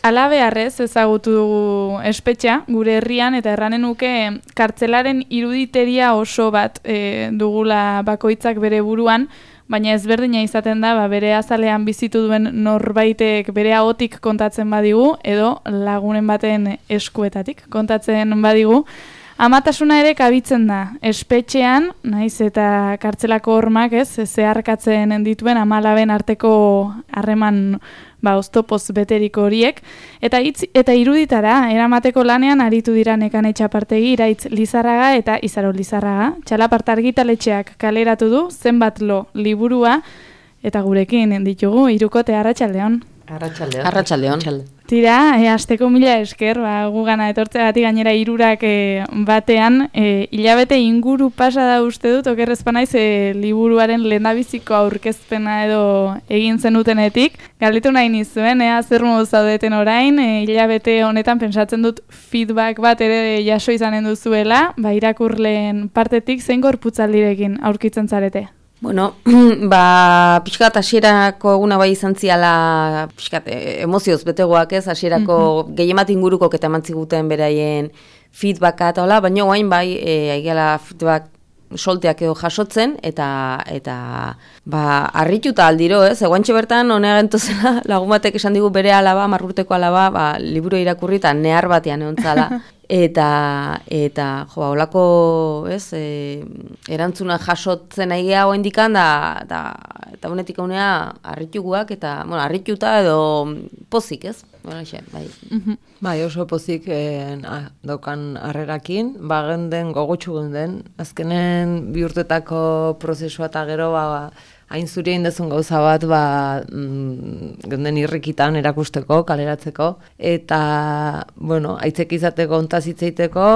Halabeharrez ezagutu dugu espetxa gure herrian eta erranen nuke kartzelaren iruditeria oso bat dugula bakoitzak bere buruan, baina ezberdina izaten da bere azalean bizitu duen norbaitek bere ahotik kontatzen badigu edo lagunen baten eskuetatik kontatzen badigu. Amatasuna ere kabitzen da, espetxean, naiz eta kartzelako hormak zeharkatzen dituen amalaben arteko harreman oztopoz beteriko horiek, eta iruditara, eramateko lanean aritu dira Nekane Txapartegi, Iraitz Lizarraga eta Izaro Lizarraga. Txalaparta argitaletxeak kaleratu du zenbat lo liburua, eta gurekin ditugu, Hirukote, arratsaldeon. Arratsaldeon. Tira, asteko mila esker, gugana etortzeagatik gainera hirurak batean, hilabete inguru pasa da uste dut, okerrezpa naiz liburuaren lehendabiziko aurkezpena edo egin zenutenetik. Galdetu nahi nizuen, zer modu zaudeten orain, hilabete honetan pentsatzen dut feedback bat ere jaso izanen duzuela, irakurleen partetik zein gorputzaldirekin aurkitzen zarete? Bueno, pixkat hasierako eguna bai izan ziala, pixkat emozioz betegoak hasierako gehiemat inguruko eta eman ziguten beraien feedbacka eta hola, baina guain bai aigeala feedback solteak edo jasotzen, eta harrituta aldiro, eguantxe bertan honea gentozela lagun batek esan digu bere alaba, 10 urteko alaba, liburu irakurri eta nehar batean egon zala. Eta holako, erantzuna jasotzen aigea hoen dikan, eta honetik honea harrituguak, eta, harrituta edo pozik, bai. Bai, oso pozik daukan harrerakin, genden, gogotxu genden, azkenen 2 urtetako prozesua eta gero, hain zuri egin dezun gauza bat, genden irrikitan erakusteko, kaleratzeko, eta, aitzek izateko, ontaz hitzeiteko,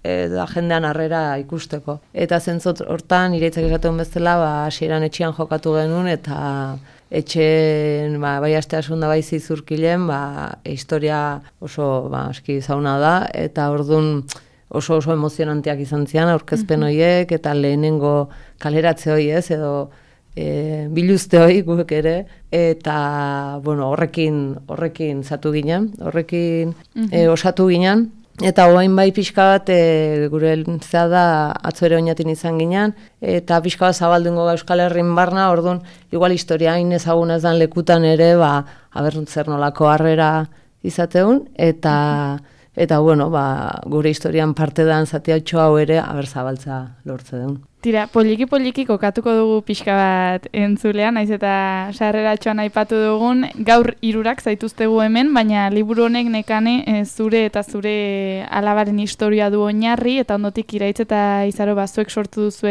eta jendean harrera ikusteko. Eta zentzot hortan, Iraitzak esaten bezala, hasieran etxean jokatu genuen, eta etxen, bai aste asunda bai zizurkilen, historia oso, aski zauna da, eta orduan oso emozionanteak izan zian, aurkezpen horiek, eta lehenengo kaleratze hori edo biluzte hori guk ere, eta horrekin zatu ginen, horrekin osatu ginen, eta hoain bai pixka bat gure zea da atzo ere oinatin izan ginen, eta pixka bat zabaldungo Euskal Herrin barna, orduan igual historia hain ezaguna ez dan lekutan ere, zer nolako harrera izateun, eta gure historian parte dan zatiatxo hau ere, zabaltza lortze deun. Tira, poliki kokatuko dugu pixka bat entzulean, naiz eta sarreratxoan aipatu dugun, gaur 3 zaituztegu hemen, baina liburu honek Nekane zure eta zure alabaren historia du oinarri, eta ondotik Iraitz eta Izaro zuek sortu duzu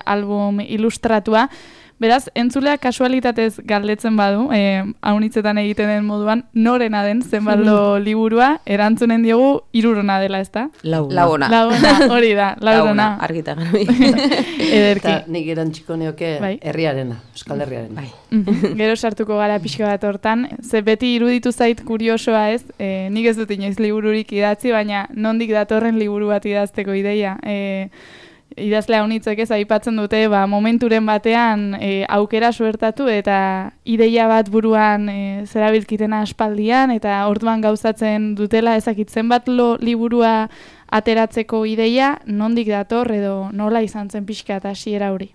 album ilustratua. Beraz, entzulea kasualitatez galdetzen badu, haunitzetan egiten den moduan, norena den zenbaldo liburua, erantzunen diogu 3 dela, ezta? Launa, hori da, launa. Argita garbi. Ederki. Eta nik erantziko neoke herriarena, Euskal Herriarena. Gero sartuko gara pixka bat hortan, ze beti iruditu zait kuriosoa nik ez dut inoiz libururik idatzi, baina nondik datorren liburu bat idazteko ideia. Idazlea honitzek aipatzen dute, momenturen batean aukera suertatu eta ideia bat buruan zerabilkitena aspaldian, eta orduan gauzatzen dutela ezakitzen bat liburua ateratzeko ideia, nondik dator edo nola izan zen pixka eta hasiera hori?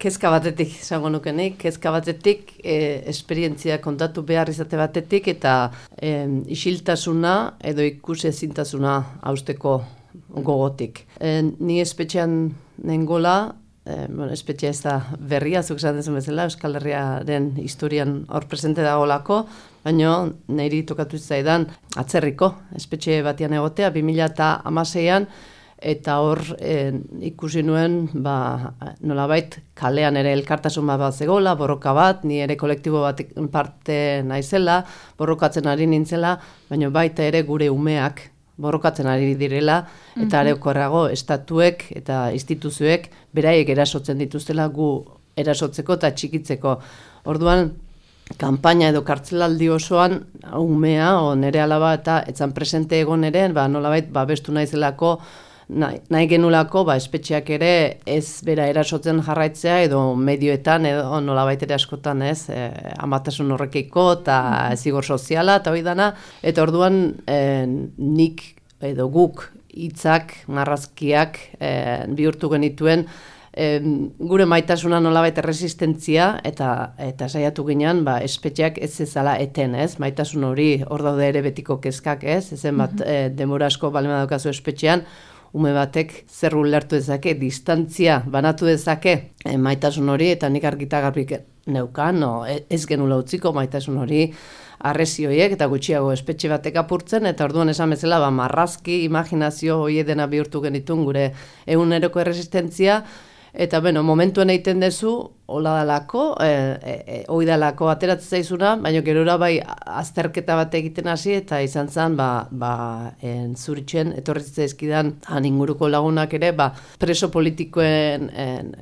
Kezka batetik, esango nukenik, kezka batetik, esperientzia kontatu behar izate batetik, eta isiltasuna edo ikusezintasuna hausteko gogotik. Ni espetxean nengola, espetxea ez da berria, zuk esan dezen bezala, Euskal Herriaren historian hor presente dagolako, baina niri tokatu zaidan atzerriko, espetxe batian egotea, 2016an, eta hor ikusi nuen, nolabait kalean ere elkartasun bat zegoela, borroka bat, ni ere kolektibo bat parte naizela, borrokatzen ari nintzela, baina baita ere gure umeak borrokatzen ari direla, eta areokorrago estatuek eta instituzioek beraiek erasotzen dituztela gu erasotzeko eta txikitzeko. Orduan, kanpaina edo kartzelaldi osoan umea, nere alaba eta etzan presente egon ere, nolabait babestu naizelako nahi genulako, espetxeak ere ez bera erasotzen jarraitzea edo medioetan edo nolabait ere askotan ez, amatasun horrekiko eta zigor soziala eta hori dana, eta orduan nik edo guk hitzak, marrazkiak bihurtu genituen gure maitasuna nolabait erresistentzia eta saiatu ginean espetxeak ez ezala eten, ez? Maitasun hori hor daude ere betiko kezkak, ez? Ezen bat denbora asko balima daukazu espetxean, ume batek zer ulertu dezake, distantzia banatu dezake maitasun hori, eta nik argita garbik neukan, ez genula utziko maitasun hori arrezioiek eta gutxiago espetxe batek apurtzen, eta orduan esan bezala marrazki, imaginazio hori dena bihurtu genitun gure eguneroko erresistentzia, eta momentuen egiten dezu, hola dalako, hoi dalako ateratzen zaizuna, baina gerora azterketa bat egiten hasi, eta izan zen, zuritzen, etorritzen ezkidan, inguruko lagunak ere, preso politikoen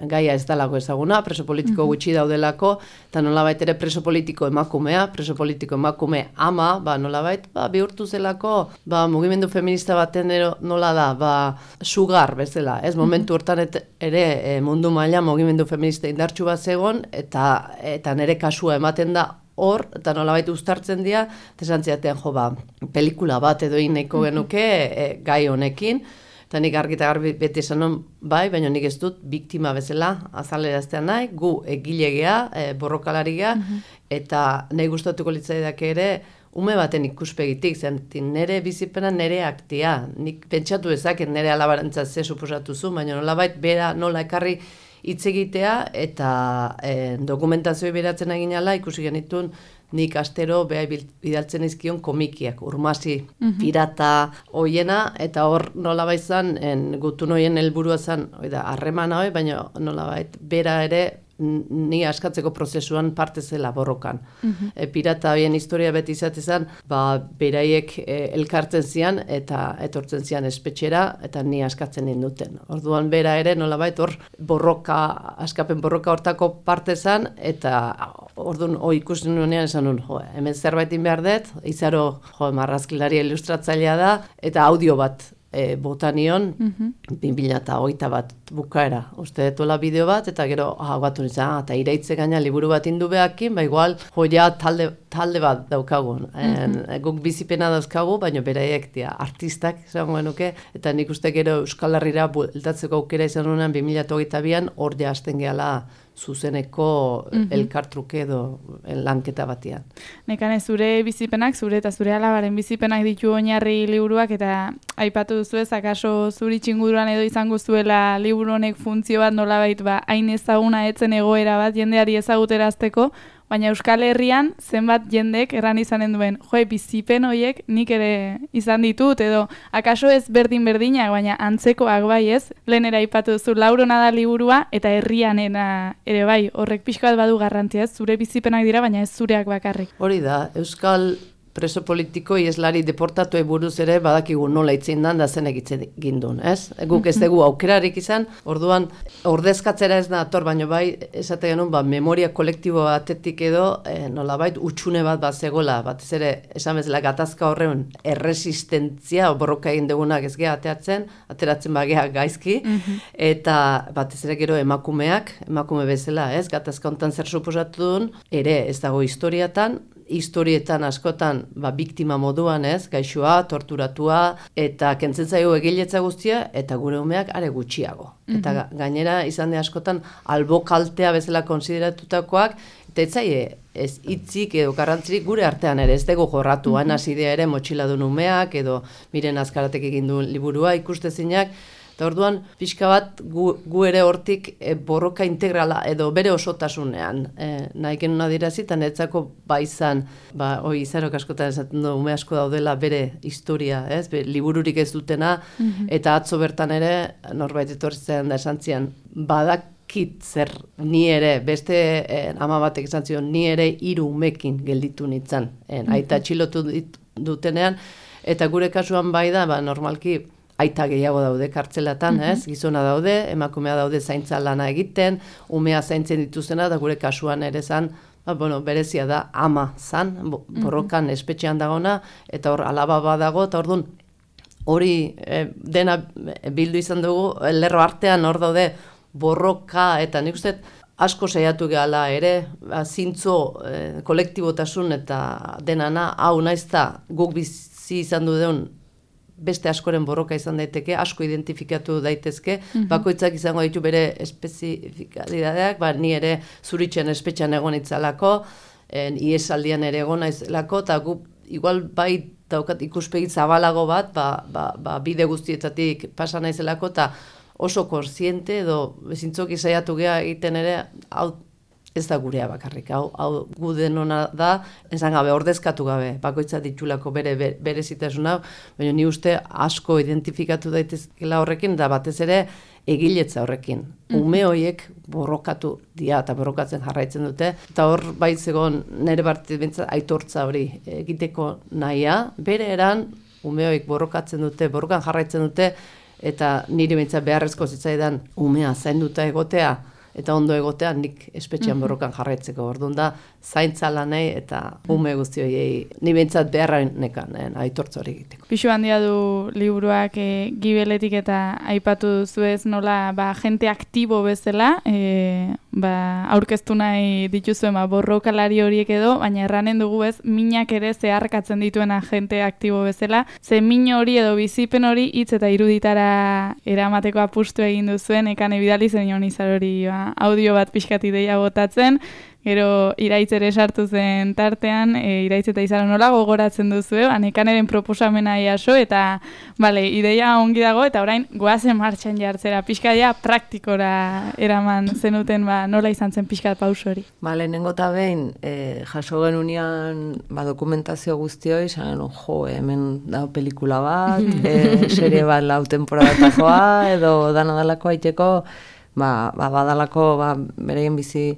gaia ez dalako ezaguna, preso politiko gutxi daudelako, eta nolabait ere preso politiko emakumea, preso politiko emakume ama, nolabait, bihurtu zelako, mugimendu feminista baten nola da, sugar bezala, ez momentu hortan ere mundu maila mugimendu feminista indartsu bat zegoen, eta nire kasua ematen da hor, eta nolabait uztartzen dira, eta esan ziatean, pelikula bat edo nahiko genuke gai honekin, eta nik argita garbi beti esan non, baina nik ez dut biktima bezala azaleraztean nahi, gu egilegea, borrokalariga, eta nahi gustatuko litzaidak ere, ume baten ikuspegitik, nire bizipena nire aktia, nik pentsatu ezaket nire alabarantzat ze suposatu zu, baina nolabait bera nola ekarri hitz egitea, eta dokumentazioa beratzen egin ala, ikusi genitun nik astero beha bidaltzen izkion komikiak, urmasi, pirata, hoiena, eta hor nolabait zan, gutun hoien helburua zan, harremana hoi, baina nolabait bera ere, ni askatzeko prozesuan parte zela borrokan. Pirata hoien historia beti izatezan, beraiek elkartzen zian eta etortzen zian espetxera eta ni askatzen ninduten. Orduan bera ere nolabait hor askapen borroka hortako parte zan, eta orduan ikusten nuenean esan nun, hemen zerbaitin behar dut, izaro marrazkilari ilustratzailea da, eta audio bat botanion 2021 bukaera. Uste detuela bideo bat, eta gero batu nintzen, eta iraitze gaina liburu bat indu behakin, igual joia talde bat daukagun. Guk bizipena dauzkagu, baina beraiek artistak esango genuke, eta nik uste gero Euskal Herrira bueltatzeko aukera izan nuenean 2022an, hor ja hasten gehala zuzeneko elkartruke edo lanketa batean. Nekane, zure bizipenak, zure eta zure alabaren bizipenak ditu oinarri liburuak, eta aipatu duzu ez, akaso zuri txinguduran edo izango zuela liburu honek funtzio bat nolabait hain ezaguna etzen egoera bat jendeari ezaguterazteko, baina Euskal Herrian zenbat jendek erran izanen duen, bizipen horiek nik ere izan ditut, edo akaso ez berdinak, baina antzekoak bai ez, lehenera aipatu duzu Laurona da liburua, eta herrianena ere bai, horrek pixka bat badu garrantzia ez, zure bizipenak dira, baina ez zureak bakarrik. Hori da, Euskal preso politiko ieslari deportatuei buruz ere badakigu nola itzin dan da zenek itzen gindun, ez? Guk ez dugu aukerarik izan, orduan ordezkatzera ez da ator, baino bai esate genuen memoria kolektibo batetik edo nolabait utxune bat zegoela, batez ere esan bezala gatazka horren erresistentzia borroka egin dugunak ez geha ateratzen bagea gaizki, eta batez ere gero emakume bezala, ez? Gatazka hontan zer suposatu duen, ere ez dago historietan askotan biktima moduan, ez, gaixoa, torturatua, eta kentzen zaio egiletza guztia, eta gure umeak are gutxiago. Eta gainera izan de askotan albokaltea bezala konsideratutakoak, eta ez hitzik edo garrantzirik gure artean ere, ez dugu jorratu, hasi idea ere motxiladun umeak, edo miren azkaratek egin duen liburua ikustezinak, eta orduan, pixka bat, gu ere hortik borroka integrala edo bere osotasunean nahi genuen adirazi, eta netzako baizan, izarok askotan esaten du, ume asko daudela bere historia, ez? Libururik ez dutena, eta atzo bertan ere, norbait etortzen da esan zian, badakit zer ni ere, beste ama batek esan zion, ni ere 3 umekin gelditu nintzen, aita txilotu dutenean, eta gure kasuan bai da, normalki, aita gehiago daude kartzelatan, ez? Gizona daude, emakumea daude zaintza lana egiten, umea zaintzen dituzena, da gure kasuan ere zan, berezia da ama zan, borrokan espetxean dagona, eta hor alaba badago, eta orduan hori dena bildu izan dugu, lerro artean hor daude borroka, eta nik uste asko saiatu gehala ere, zintzo kolektibotasun eta denana, hau naizta guk bizi izan duen beste askoren borroka izan daiteke, asko identifikatu daitezke, bakoitzak izango ditu bere espezifikalidadeak, ni ere Zuritzen espetxean egon itzalako, iesaldian ere egon naizelako, eta gu igual bai daukat ikuspegi zabalago bat, bide guztietatik pasa naizelako, eta oso kontziente edo zintzoki saiatu gea egiten ere, hau ez da gurea bakarrik, hau gu denona da, esan gabe, ordezkatu gabe, bakoitza ditulako berezitasuna, baina ni uste asko identifikatu daitezkela horrekin, da batez ere egiletza horrekin. Ume horiek borrokatu dira eta borrokatzen jarraitzen dute, eta hor baitzegon nire bartit aitortza hori egiteko nahia, bere eran ume horiek borrokatzen dute, borrokan jarraitzen dute, eta nire bintzat beharrezko zitzaidan umea zainduta egotea, eta ondo egotea nik espetxean borrokan jarraitzeko. Orduan da, zaintza lanei eta ume guzti horiei ni behintzat beharra nekan aitortza hori egiteko. Pisu handia du liburuak gibeletik eta aipatu duzuez nola jente aktibo bezala, aurkeztu nahi dituzuen borrokalari horiek edo, baina erranen dugu ez, minak ere zeharkatzen dituena jente aktibo bezala, ze min hori edo bizipen hori hitz eta iruditara eramateko apustu egin duzuen, ekane bidali zen Izar hori audio bat pixkat ideia botatzen, gero Iraitz ere sartu zen tartean, Iraitz eta Izar nola gogoratzen duzu, Ekaneren proposamena jaso, eta ideia ongi dago, eta orain goazen martxan jartzera, pixkatia praktikora eraman zenuten, nola izan zen pixkat pauso hori. Lehenengo eta behin, jaso genunean dokumentazio guztioi, zagen, hemen da pelikula bat, serie bat lau temporadatakoa, edo danadalako aiteko, badalako bereien bizi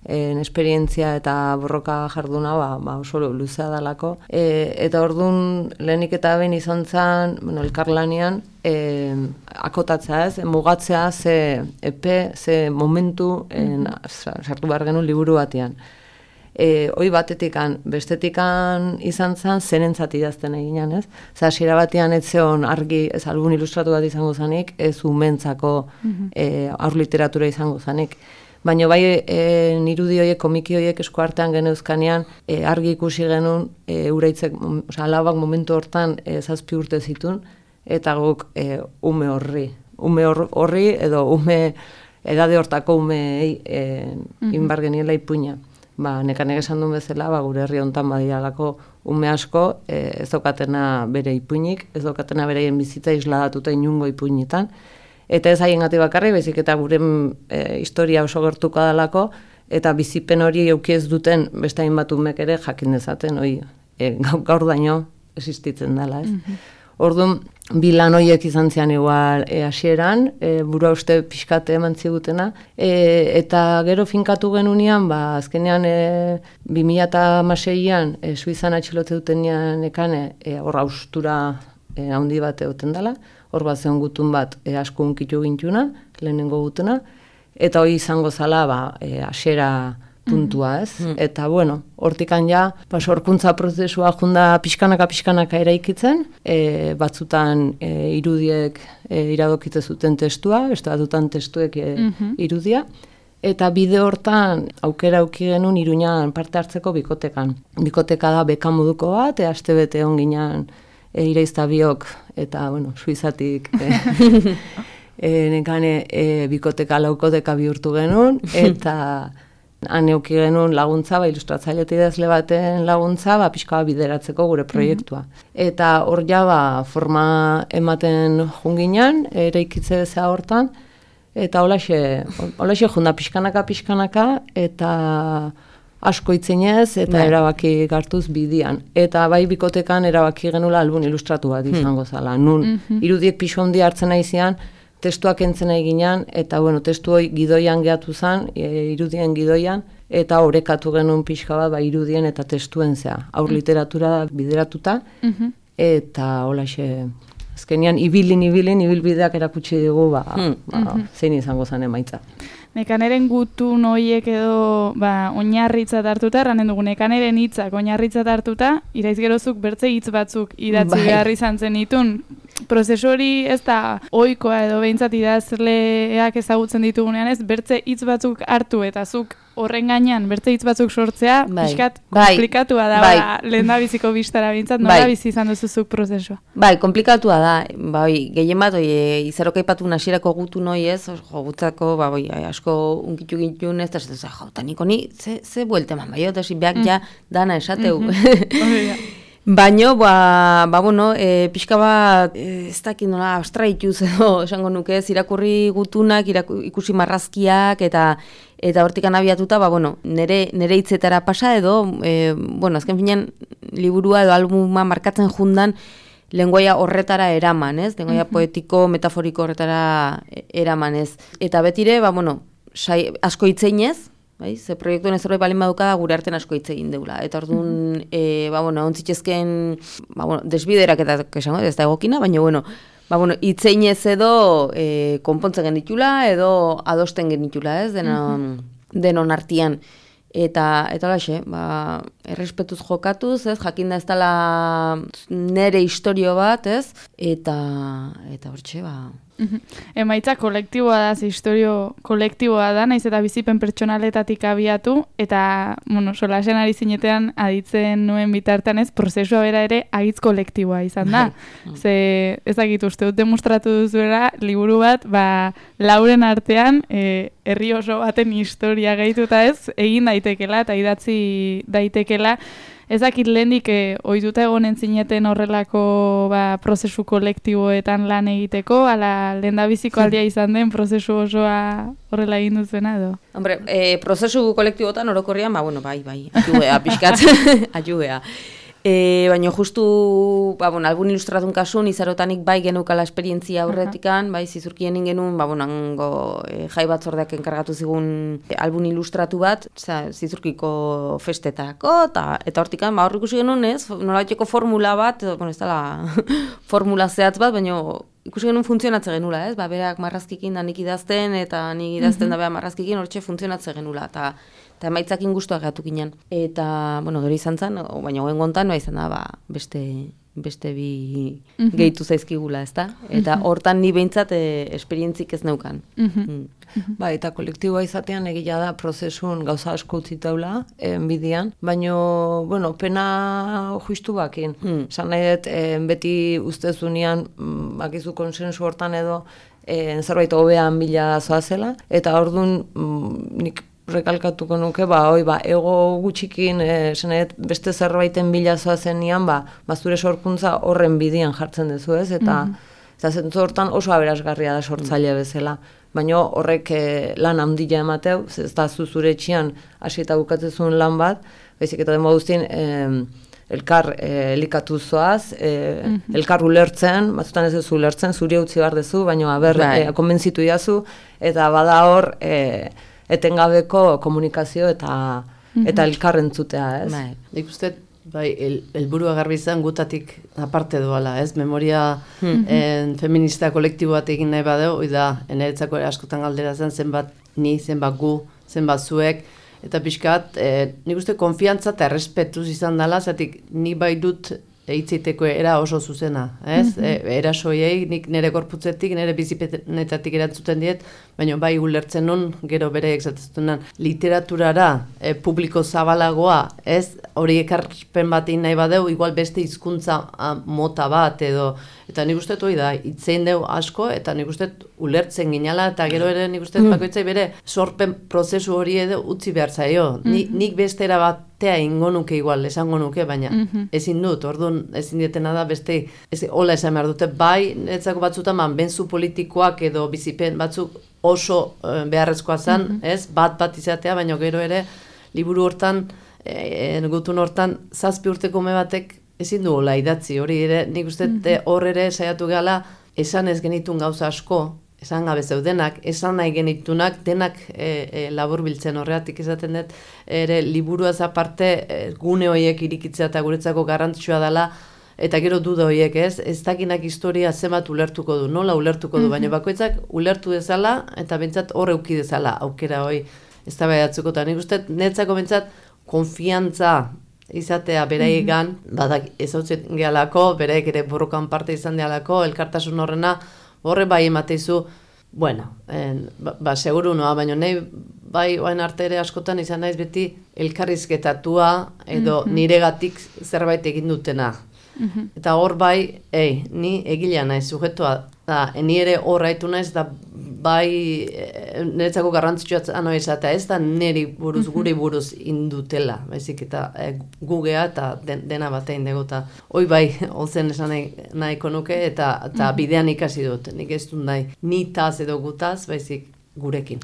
esperientzia eta borroka jarduna oso luzea dalako. Eta orduan lehenik eta behin izan zen, elkarlanean, akotatzea ez, mugatzea ze epe, ze momentu sartu behar genuen liburu batean. Hoi batetikan, bestetikan izan zen, zenentzat idazten eginan, ez? Hasiera batean ez zeon argi, ez album ilustratu bat izango zanik, ez umentzako aur literatura izango zanik. Baina bai irudi horiek, komiki horiek esku artean geneuzkanean, argi ikusi genuen, uraitzek, alabak momentu hortan 7 urte zitun, eta guk ume horri edo edade hortako umei inbar geniela ipuina. Nekanek esan duen bezala, gure herri hontan badialako ume asko, ez daukatena bere ipuinik, ez daukatena bereien bizitza isladatuta inungo ipuinetan, eta ez haien gati bakarri, bezik eta gure historia oso gertuko dalako, eta bizipen hori euki ez duten beste hainbat umek ere jakin dezaten, gaur daño existitzen dela, ez? Orduan, bi lan horiek izan zian igual hasieran, burua uste pixkate eman zigutena, eta gero finkatu genunean, azkenean 2006an Suizan atxilote dutenean ekane, hor haustura handi bat egoten dela, hor bat zeon gutun bat asko unkitu gintuna, lehenengo gutuna, eta hori izango zala hasiera puntua, ez? Eta, hortikan ja, sorkuntza prozesua junda pixkanaka eraikitzen, batzutan irudiek iradokitze zuten testua, beste batzutan testuek irudia, eta bide hortan aukera auki genuen Iruñan parte hartzeko bikotekan. Bikoteka da beka moduko bat, aste bete onginan Iraizta biok, eta, Suizatik nekane bikoteka laukoteka bihurtu genuen, eta han euki genuen laguntza, ilustratzaile idazle baten laguntza, pixka bideratzeko gure proiektua. Eta hor ja, forma ematen junginan, eraikitze bezala hortan, eta holaxe junda pixkanaka, eta asko itzinez, eta erabaki gartuz bidian. Eta bai bikotekan erabaki genula album ilustratu bat izango zala. Nun, irudiek pixo handia hartzen aizian, testuak entzen eginan, eta testu hori gidoian gehatu zen, irudien gidoian, eta orekatu genuen pixka bat irudien eta testuen zea. Aur literatura bideratuta, eta holaxe azkenian ibilbideak erakutsi digu, zein izango zen emaitza. Nekaneren gutun horiek edo oinarritzat hartuta, erranen dugu, nekaneren hitzak oinarritzat hartuta, iraiz gerozuk bertze hitz batzuk idatzi behar izan zen ditun. Prozesu hori ez da ohikoa edo behintzat idazleak ezagutzen ditugunean ez, bertze hitz batzuk hartu eta zuk horren gainean bertze hitz batzuk sortzea, pixkat komplikatua da, lehendabiziko bistara behintzat, nola bizi izan duzuzuk prozesua? Komplikatua da, gehien bat, izarok aipatu hasierako gutun hori ez, gutzako, asko unkitu gintun ez, eta jauta niko ni, ze buelte eman, eta behak ja dana esateu. Baina, pixka bat, ez dakit nola, abstraituz edo, esango nuke, irakurri gutunak, ikusi marrazkiak, eta hortikan abiatuta, nire hitzetara pasa edo, azken finean, liburua edo albuma markatzen jundan, lengoia horretara eraman, ez? Lengoia poetiko, metaforiko horretara eraman, ez? Eta betire, asko hitzeinez, ze proiektuen ez zerbait balin baduka da gure artean asko hitz egin deula. Eta orduan, ontzitzezken, desbiderak eta esango, ez da egokina, baina, hitzeinez edo konpontzen genitula, edo adosten genitula, ez, denon artian. Eta laxe, errespetuz jokatuz, ez, jakinda ez dela nere historio bat, ez, eta hortxe, Emaitza kolektiboa da, historio kolektiboa da, naiz eta bizipen pertsonaletatik abiatu, eta, solasen ari zinetean aditzen nuen bitartean ez, prozesua bera ere agitz kolektiboa izan da. Ze, ezagit uste dut demostratu duzuela, liburu bat, lauren artean, herri oso baten historia gehituta ez, egin daitekela eta idatzi daitekela. Ezakit lehendik ohituta egonen zineten horrelako prozesu kolektiboetan lan egiteko, ala lehendabiziko aldia izan den prozesu osoa horrela egin duzuena edo? Hombre, prozesu kolektiboetan orokorrian, bai, ajugea, pixkat, ajugea. Baina justu, albun ilustratun kasun, izarotanik bai genukala esperientzia aurretikan, bai zizurkien ingenun, hango jai batzordeak enkargatu zigun albun ilustratu bat, zizurkiko festetako, eta hortikan, hor ikusi genuen ez, nolabaiteko formula bat, ez dela formula zehatz bat, baina ikusi genuen funtzionatze genula, ez, berak marrazkikin da nik idazten, eta nik idazten da beha marrazkikin, hortxe funtzionatze genula, eta emaitzakin guztuak gatu ginen. Eta, gero izan zen, baina goen gontan, izan da, beste bi gehitu zaizkigula, ez da? Eta hortan ni behintzat esperientzik ez neukan. Eta kolektiboa izatean egia da prozesun gauza asko utzitaula, bidian, baina, pena justu bakin. Esan nahi dut, beti ustezunean, bakizu konsensu hortan edo, zerbait hobean bila zoazela, eta orduan nik rekalkatuko nuke, ego gutxikin, beste zerbaiten bilazoa zenian, zure sorkuntza horren bidian jartzen duzu ez, eta zentzu hortan oso aberasgarria da sortzaile bezala. Baina horrek lan handia emateu, ez da zure etxian hasi eta bukatzezun lan bat, baizik eta demo guztien elkar elikatu zoaz, elkar ulertzen, batzutan ez ez ulertzen, zuri utzi behar dezu, baina konbentzitu iazu, eta bada hor, etengabeko komunikazio eta elkar entzutea, ez? Nik uste, helburua garbi izan gutatik aparte doala, ez? Memoria feminista kolektibo bat egin nahi badeu, da, eneretzako askotan galdera zen, zenbat ni, zenbat gu, zenbat zuek, eta pixkat, nik uste konfiantza eta errespetuz izan dela, zatik ni bai dut hitzeiteko era oso zuzena, ez? Erasoiei, nik nire gorputzetik, nire bizipenetatik erantzuten diet, baina bai ulertzen nun, gero bere egzatezutenan, literaturara publiko zabalagoa, ez? Hori ekarpen bat egin nahi badeu, igual beste hizkuntza mota bat, edo, eta nik uste hori da, hitzein deu asko, eta nik uste ulertzen ginala, eta gero ere nik uste bakoitzai bere sorpen prozesu hori edo utzi behar zaio. Nik bestera batea ingo nuke igual, esango nuke, baina ezin dut, orduan ezin dietena da beste, hola esan behar dute, bai, netzako batzutan, benzu politikoak edo bizipen batzuk oso beharrezkoa zen, ez, bat izatea, baina gero ere, liburu hortan, gutun hortan, 7 urteko ume batek ezin du hola idatzi, hori ere, nik uste hor ere saiatu gala, esan ez genitun gauza asko, esan gabe zeudenak, esan nahi genitunak, denak labur biltzen horreatik izaten dut, ere liburuaz aparte gune horiek irikitzea eta guretzako garrantzitsua dela, eta gero duda horiek ez dakinak historia zenbat ulertuko du, nola ulertuko du, baina bakoitzak ulertu dezala, eta bentsat hor euki dezala, aukera hori ez da behatzeko, eta nik uste, netzako bentsat, konfiantza izatea beraiegan, badak ezautzen gehalako, beraiek ere borrokan parte izan gehalako, elkartasun horrena, horre bai emateizu, bueno, seguru noa, baina nahi bai oain arte ere askotan izan naiz beti elkarrizketatua edo niregatik zerbait egin dutena. Eta hor bai, ni egilea naiz, sujetua da, ni ere hor haitu naiz, da bai niretzako garrantzitsua anoa izatea, ez da niri buruz, guri buruz indutela, baizik eta gugea eta dena batein dugu, eta hoi bai, holzen esan nahiko nuke, eta bidean ikasi dut, nik ez dut nahi, nitaz edo gutaz, baizik gurekin.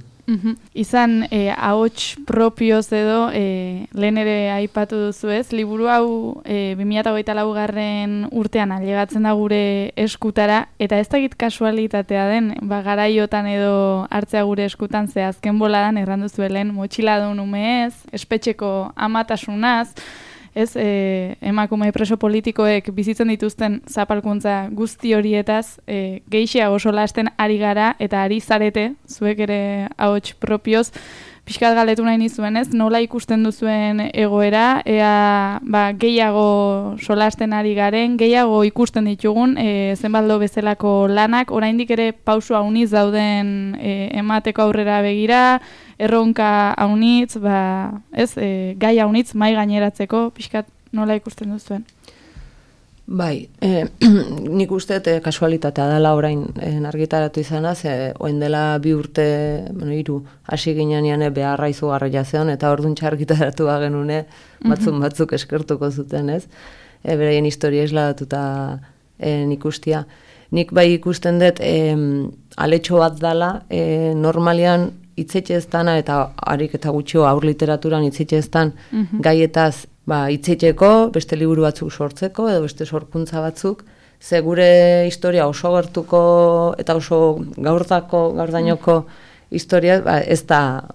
Izan ahots propioz edo lehen ere aipatu duzu ez, liburu hau 2024 urtean ailegatzen da gure eskutara, eta ez dakit kasualitatea den, garaiotan edo hartzea gure eskutan, ze azken boladan errandu zuelen motxiladun umeez, espetxeko amatasunaz, ez, emakume preso politikoek bizitzen dituzten zapalkuntza guzti horietaz, gehiago solasten ari gara eta ari zarete, zuek ere ahots propioz, pixkat galdetu nahi nizuen ez, nola ikusten duzuen egoera, ea gehiago solasten ari garen, gehiago ikusten ditugun, zenbaldo bezalako lanak, oraindik ere pausu hauniz dauden emateko aurrera begira, erronka haunitz, gai haunitz mai gaineratzeko, pixkat nola ikusten duzuen? Bai, nik uste kasualitatea dela orain argitaratu izanaz, oen dela 2 urte, 3, hasi ginean beharra izugarria zeon, eta orduan argitaratu genune batzuk eskertuko zuten, ez? Beraien historia isladatuta nik ustia. Nik bai ikusten dut aletxo bat dela, normalian hitzetxe ez dana, eta harik eta gutxio aur literaturan hitzetxe ez dan gaietaz hitzetxeko, beste liburu batzuk sortzeko, edo beste sorkuntza batzuk, ze gure historia oso gertuko eta oso gaurdainoko historia, ez da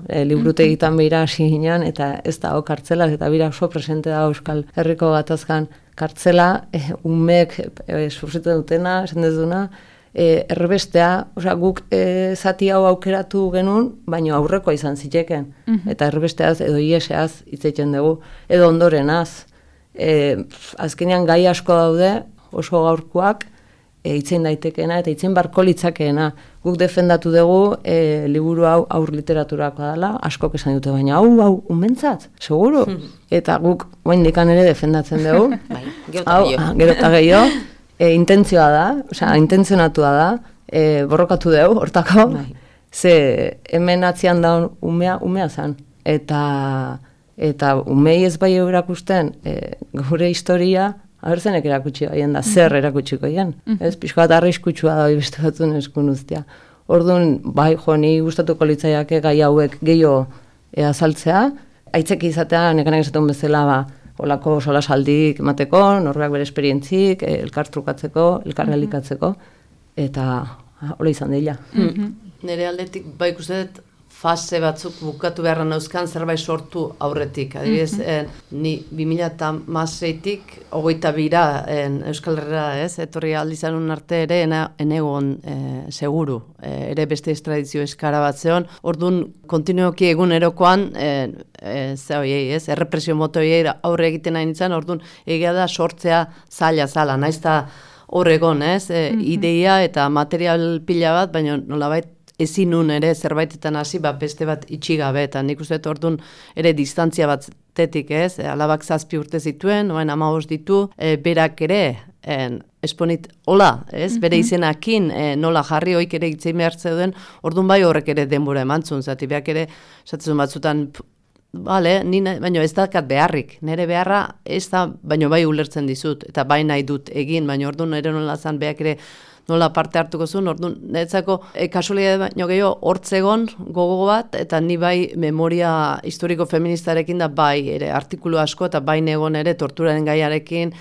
liburutegitan behira hasi ginen, eta ez da kartzela, eta bira oso presente da Euskal Herriko gatazkan kartzela, umek sufritzen dutena, esan dezuna, erbestea, guk zati hau aukeratu genuen, baina aurrekoa izan ziteken. Eta erbesteaz edo ieseaz hitzeiten dugu, edo ondorenaz. Azkenean gai asko daude, oso gaurkoak, hitzen daitekeena eta hitzen barko litzakeena. Guk defendatu dugu liburu hau aur literaturakoa dela, askok esan dute, baina hau umentzat, seguru? Eta guk oaindikan ere defendatzen dugu. Gero eta gehiago. Intentzioa da, intentzionatua da, borrokatu dugu, hortako, ze hemen atzian da umea zen. Eta umei ez bai erakusten, gure historia, abertzenek erakutsi baien da, zer erakutsiko hien. Ez, pixko bat arriskutsua da, beste batzun eskun uztia. Orduan, bai, ni gustatuko litzaiake gai hauek gehiago azaltzea, aitzeki izatea, nekanak esatun bezala, olako solasaldik emateko, norbeak bere esperientzik, elkar trukatzeko, elkar realikatzeko, eta hola izan dela. Nire aldetik, bai ikusten fase batzuk bukatu beharra nauzkan zerbait sortu aurretik. Adibidez, ni 2016-tik 22 Euskal Herrera, etorri aldizanun arte ere enegon seguru, ere beste estradizio eskara bat zeon. Orduan, kontinuoki egunerokoan, errepresio motoiei aurre egiten nahi nintzen, orduan egia da sortzea zaila zala, naiz da horregon, ideia eta material pila bat, baina nolabait ezin nun ere zerbaitetan hasi, beste bat itxigabe, eta nik uste orduan ere distantzia batetik, alabak 7 urte zituen, oain 15 ditu, berak ere, esponit, hola, bere izenakin, nola jarri hoik ere itzein behar zeuden, orduan bai horrek ere denbora emantzun, zati beak ere, esatzen batzutan, baina ez dakat beharrik, nire beharra ez da, baina bai ulertzen dizut, eta bai nahi dut egin, baina orduan ere nola zan beak ere nola parte hartuko zuen, orduan, niretzako kasualidade baino gehiago hortzegon gogo bat, eta ni bai memoria historiko feministarekin da bai ere artikulu asko, eta bai negon ere torturaren gaiarekin,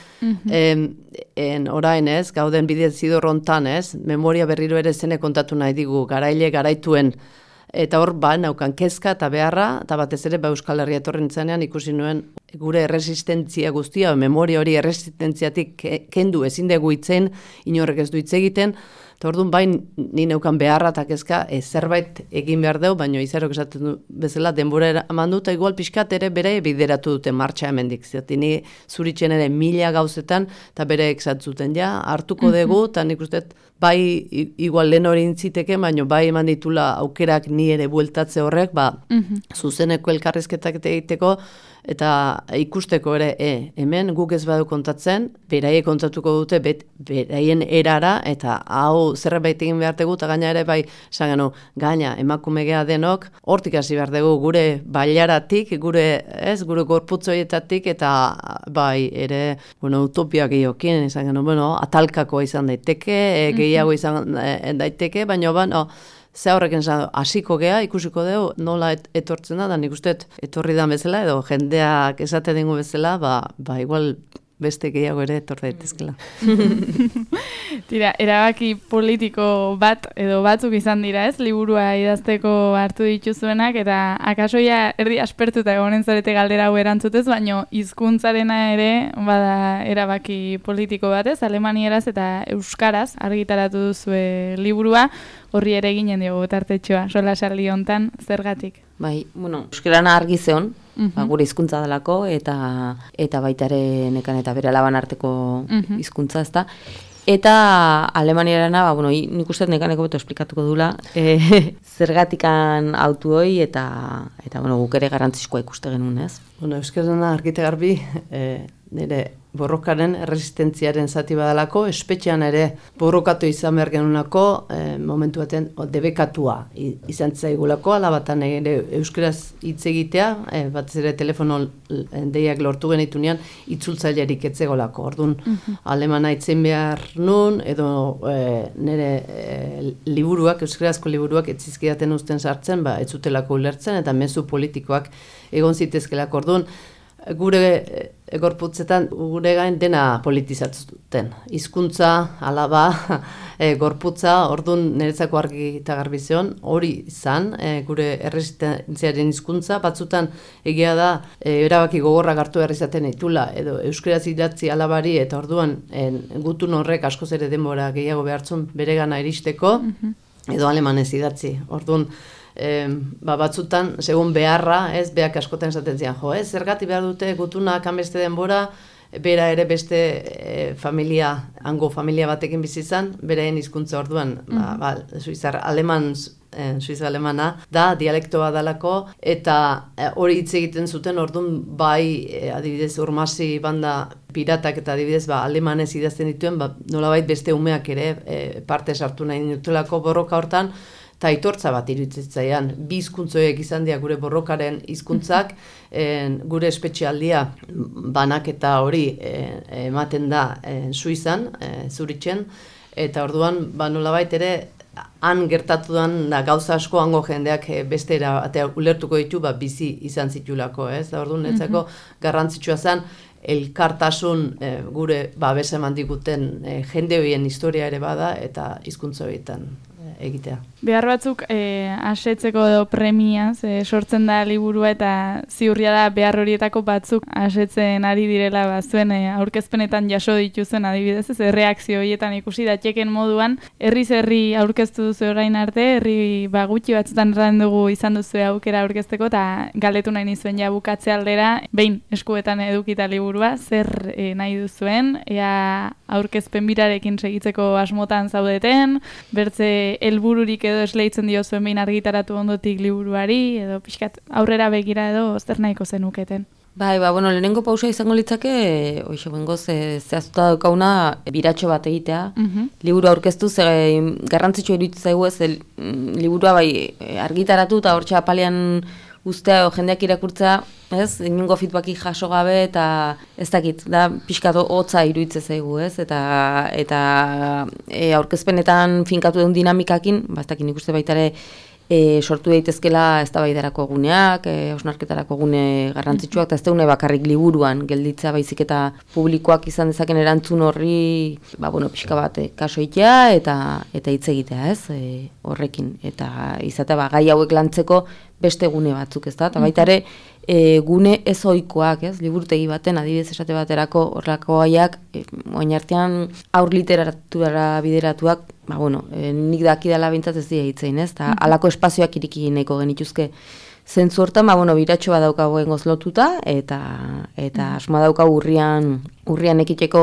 orain gauden bidezidor hontan, memoria berriro ere zene kontatu nahi digu, garaile garaituen eta hor naukan kezka eta beharra, eta batez ere Euskal Herria etorri nintzenean ikusi nuen gure erresistentzia guztia, memoria hori erresistentziatik kendu ezin dugu itzen, inorrek ez du hitz egiten, eta orduan ni neukan beharra eta kezka zerbait egin behar dugu, baina izarok esaten du bezala denbora eman dut, eta igual pixkat ere bere bideratu dute martxa hemendik. Zerti ni zuritzen ere 1000 gauzetan, eta bere exatzuten hartuko dugu, eta nik uste bai igual lehen hori intziteke, baina bai eman ditula aukerak ni ere bueltatze horrek, zuzeneko elkarrizketak egiteko, eta ikusteko ere, hemen guk ez badu kontatzen, beraie kontatuko dute beraien erara, eta hau zerbait egin behar dugu, eta gaina ere bai, gaina emakumegea denok, hortik hasi behar dugu gure bailaratik, gure gorputzoietatik, eta bai ere, utopia gehiokin, atalkakoa izan daiteke, gehiago izan daiteke, baina ze horrekin hasiko gea, ikusiko dugu, nola etortzen da, nik uste etorri da bezala, edo jendeak esate dingu bezala, igual beste gehiago ere etor daitezkela. Tira, erabaki politiko bat edo batzuk izan dira, ez? Liburua idazteko hartu dituzuenak, eta akasoia erdi aspertuta egonen zarete galdera hau erantzutez, baino hizkuntzarena ere bada erabaki politiko bat, ez? Alemanieraz eta euskaraz argitaratu duzue liburua, horri ere ginen dugu tartetxoa, sola saldi hontan, zergatik? Bai, euskarana argi zeon, gure hizkuntza delako, eta baita ere nekan eta bere alaban arteko hizkuntza, ezta. Eta Alemaniarana, nik uste nekaneko beto esplikatuko dula, zergatikan autu hoi, eta guk ere garrantzizkoa ikuste genuen, ez? Euskarana argite garbi, nire borrokaren resistentziaren zati badalako, espetxean ere borrokatu izan behar genunako, momentu baten debekatua izan zaigulako, alabatan ere euskaraz hitz egitea, bat ere telefono deiak lortu genitunean, itzultzailerik etzegolako. Orduan, alemana itzen behar nun, edo nire liburuak, euskarazko liburuak etzizkidaten uzten sartzen, ez zutelako ulertzen, eta mezu politikoak egon zitezkelako. Orduan, gure gorputzetan gure gain dena politizatzen. Hizkuntza, alaba, gorputza, orduan niretzako argi eta garbi zeon, hori izan, gure erresistentziaren hizkuntza, batzutan egia da, erabaki gogorrak hartu behar izaten ditula, edo euskaraz idatzi alabari, eta orduan gutun horrek askoz ere denbora gehiago behartzun beregana iristeko, edo alemanez idatzi. Orduan, batzutan, segun beharra, beak askotan esaten zian, zergati behar dute gutunak hanbeste denbora, bera ere beste hango familia batekin bizi izan, beraien hizkuntza orduan, Suiza-alemana da, dialektoa dalako, eta hori hitz egiten zuten orduan bai, adibidez, Urmasi banda piratak eta adibidez, alemanez idazten dituen, nolabait beste umeak ere parte sartu nahi dutelako borroka hortan, eta aitortza bat iruditzen bi hizkuntzoek izan dira gure borrokaren hizkuntzak, gure espetxealdia banaketa hori ematen da Suizan, Zuritzen, eta orduan nolabait ere han gertatu da gauza asko hango jendeak beste erabatea ulertuko ditu bizi izan zitulako, ez? Da orduan netzako garrantzitsua zen elkartasun gure babes eman diguten jende horien historia ere bada eta hizkuntza horietan egitea. Behar batzuk asetzeko edo premiaz sortzen da liburua eta ziurria da behar horietako batzuk asetzen ari direla zuen aurkezpenetan jaso dituzuen adibidez, ez reakzio horietan ikusi datxeken moduan, herri aurkeztu duzu orain arte, herri gutxi batzutan erran dugu izan duzu aukera aurkezteko eta galdetu nahi nizuen ja bukatze aldera, behin eskuetan edukita liburua, zer nahi duzuen, ea aurkezpen birarekin segitzeko asmotan zaudeten, bertze helbururik edo esleitzen dio zuen behin argitaratu ondotik liburuari, edo pixkat aurrera begira edo zer nahiko zenuketen. Bai, lehenengo pausa izango litzake, bengoz, zehaztuta daukauna biratxo bat egitea. Liburu aurkeztu, garrantzitsua iruditzen zaigu ez, liburua argitaratu eta hortxe apalean ustea o jendeak irakurtza, ez? Inungo feedbacki jaso gabe eta ez dakit, da pixkatu hotza iruditzen zaigu, ez? Eta aurkezpenetan finkatu den dinamikakin, ez dakit nik uste baita ere sortu daitezkela eztabaidarako guneak, hausnarketarako gune garrantzitsuak, eta ez daune bakarrik liburuan gelditzea baizik eta publikoak izan dezaken erantzun horri, pixka bat kasoitea eta hitz egitea, ez, horrekin, eta izatea gai hauek lantzeko beste gune batzuk, ez da, eta baita ere, gune ez ohikoak, ez, liburutegi baten, adibidez esate baterako horrelako gaiak, oin artean aur literatura bideratuak, nik dakidala bintzat ez dira hitzein, ez, eta halako espazioak iriki nahiko genituzke zentzu hortan, biratxo bat daukagu engoz lotuta, eta asmoa daukagu urrian ekiteko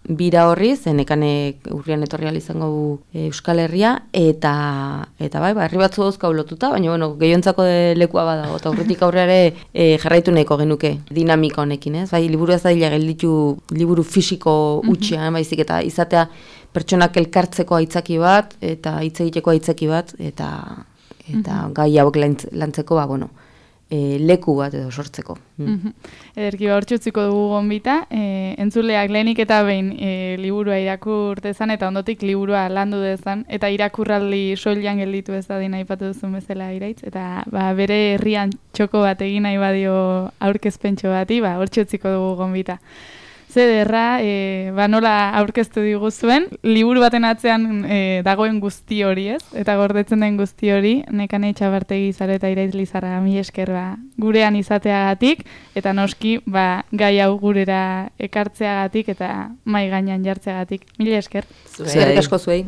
bira horri, zenekane urrian etorri izango Euskal Herria, eta herri batzu dauzkau lotuta, baina gehiontzako lekua badago, eta urritik aurreare jarraitu nahiko genuke dinamika honekin, ez? Bai, liburu ez da gelditu liburu fisiko utxean, baizik eta izatea pertsonak elkartzeko aitzaki bat, eta hitz egiteko aitzaki bat, eta gai hauek lantzeko, leku bat edo sortzeko. Ederki hortxutziko dugu gonbita, entzuleak lehenik eta behin liburua irakur dezan eta ondotik liburua landu dezan, eta irakurraldi soilan gelditu ez da dina aipatu duzun bezala Iraitz, eta bere herrian txoko bat egin nahi badio aurkezpentxo bati, hortxutziko dugu gonbita. Zederra, nola aurkeztu diguzuen, liburu baten atzean dagoen guzti hori, ez? Eta gordetzen den guzti hori, Nekane Etxabartegi Zareta Iraitz Lizarraga, mila esker gurean izateagatik, eta noski gai hau gurera ekartzeagatik eta mai gainean jartzeagatik. Mila esker. Eskerrik asko zuei.